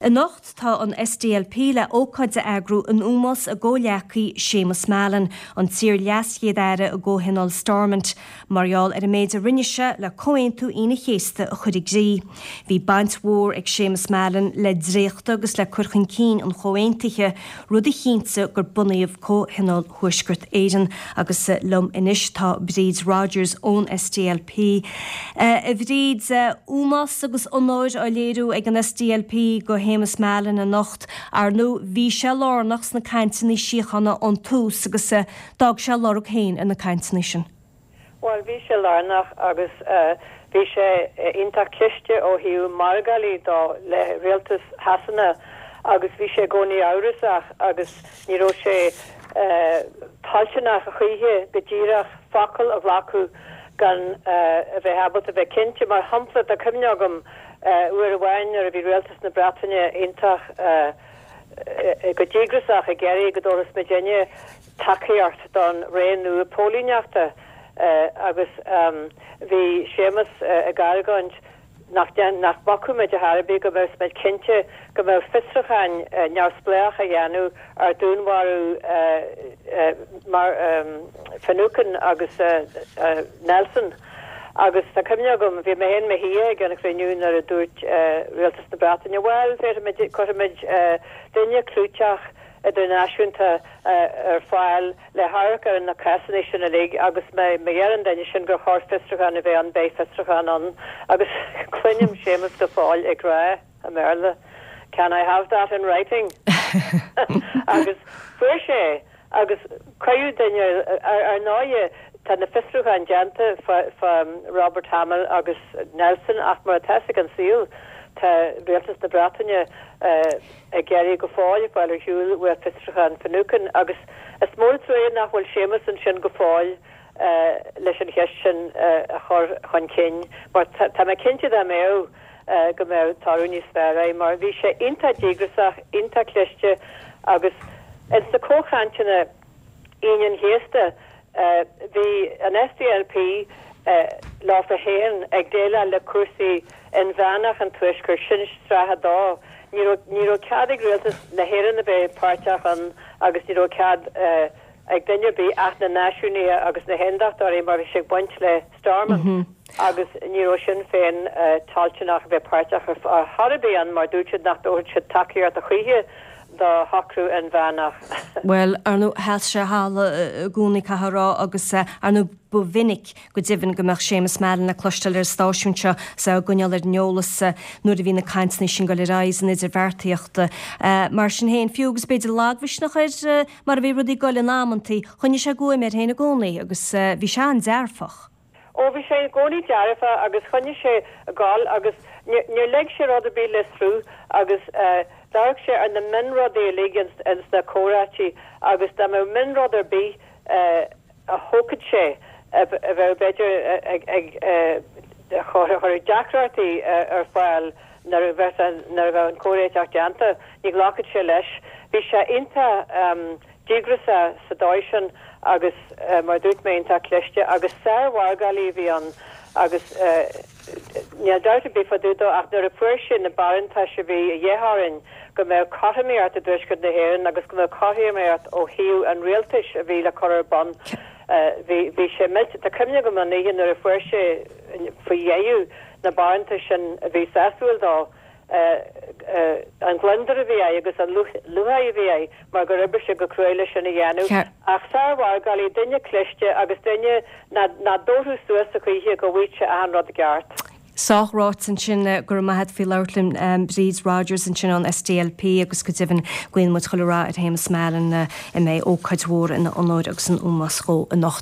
Anocht tá an SDLP le ócáid a eagrú in ómós a gcomhghleacaí Séamus Mallon, an t-iar-LeasChéad-Aire i gComhthionól Stormont, mar gheall ar an méid a rinne sé le Comhaontú Aoine an Chéasta a chur i gcrích. Bhí baint mhór ag Séamus Mallon le dréachtadh agus le cur chun cinn an chomhaontaithe, rud a chinntigh gur bunaíodh Comhthionól Thuaisceart Éireann. Agus liom anois tá Bríd Rodgers ón SDLP. A Bhríd, ómós agus onóir á léiriú ag an SDLP go Shéamus Mallon anocht. Ar ndóigh, bhí sé lárnach sna cainteanna síochána ón tús agus d'fhág sé a lorg féin ar na cainteanna sin. Bhuel, bhí sé lárnach agus bhí sé iontach cliste ó thaobh margálaí dó le rialtas Shasana agus bhí sé i gcónaí amhrasach agus ní raibh sé toilteanach a choíche go díreach focal a ghlacadh gan a bheith ábalta bheith cinnte. Mar shampla, tá cuimhne agam uair amháin nuair a bhí rialtas na Breataine iontach go díograsach ag iarraidh go dtabharfas muidinne tacaíocht don ré nua póilíneachta agus bhí Séamus ag argóint nach nach mbacfadh muid ar chor ar bith go mbeadh muid cinnte go mbeadh fiosrúcháin neamhspleách á dhéanamh ar dúnmharú mar Finucane agus Nelson. Agus tá cuimhne agam, bhí mé féin i mo shuí ag an chruinniú nuair a dúirt Rialtas na Breataine, bhuel, féadfaimid, cuirfimid duine clúiteach idirnáisiúnta ar fáil le hamharc ar na cásanna sin uilig agus má deir an duine sin gur chóir fiosrúchán a bheith ann, beidh fiosrúchán ann. Agus cluinim Séamus go fóill ag rá i mBéarla, Can I have that in writing? Agus fuair sé é. Agus cuireadh duine, ar ndóighe tá na fiosrúcháin déanta fá Robert Hamill agus Nelson ach mar atá fhios ag an saol tá Rialtas na Breataine ag iarraidh go fóill fáil ar shiúl uaidh fiosrúchán Finucane agus is mór an trua nach bhfuil Séamus ansin go fóill leis an cheist sin a chur chun cinn mar tá mé cinnte dá mbeadh go mbeadh toradh níos fearr air mar bhí sé iontach díograsach, iontach cliste agus ins na comhchainteanna Aoine an Chéasta bhí an SDLP leofa féin ag déileáil le cúrsaí inmheánach an Tuaiscirt, sin sraith a dó. Ní raibh, ní raibh cead ag rialtas na hÉireann a bheith páirteach ann agus ní raibh cead ag duine ar bith ach na náisiúnaithe agus na haondachtóirí mar bhí sé ag baint le Stormont agus ní raibh Sinn Féin toilteanach a bheith páirteach ar chor ar bith ann mar dúirt siad nach dtabharfadh siad tacaíocht a choíche do shocrú inmheánach. Bhuel, ar ndóigh, sheas sé a thalamh i gcónaí, caithfidh a rá, agus ar ndóigh ba mhinic go deimhin go mbeadh Séamus Mallon le cloisteáil ar an stáisiún seo is é á gcoinneáil ar an eolas nuair a bhí na cainteanna sin ag dul ar aghaidh san idirbheartaíocht. Mar sin féin, fiú agus b'fhéidir lagmhisneach air mar a bhí rudaí ag dul in amantaí, choinnigh sé guaim air féin i gcónaí agus bhí sé an-dearfach. Ó, bhí sé i gcónaí dearfach agus choinnigh sé ag gabháil agus níor lig sé rud ar bith le sruth agus d'amharc sé ar na mionrudaí uilig ins na comhráití agus dá mbeadh mionrud ar bith a thógfadh sé a bheadh b'fhéidir ag cur deacrachtaí ar fáil nuair a bheadh nuair a bheadh an comhréiteach déanta, ní ghlacfadh sé leis. Bhí sé iontach díograsach sa dóigh sin agus mar a dúirt mé iontach cliste agus sár-mhargálaí a bhí ann agus níl dabht ar bith fá dtaobh dó ach nuair a fuair sé na barántais a bhí a dhíth orainn go mbeadh cothromaíocht i dTuaisceart na hÉireann agus go mbeadh cothromaíocht ó thaobh an rialtais a bhí le cur ar bun bhí bhí sé millte. Tá cuimhne agam an oíche nuair a fuair sé faoi dheireadh na barántais sin a bhí sásúil dó. an gliondar a bhí air agus an lúcháir a bhí air mar gur oibrigh sé go cruaidh leis sin a dhéanamh. Ach sár-mhargálaí, duine cliste agus duine nach dtabharfadh suas a choíche go bhfaigheadh sé achan rud i gceart. Sách ráite ansin. Go raibh maith a't faoi labhairt linn Bríd Rodgers ansin ón SDLP agus go deimhin guíonn muid chuile rath ar Shéamus Mallon a mbeidh ócáid mhór ina onóir agus in ómós dhó anocht.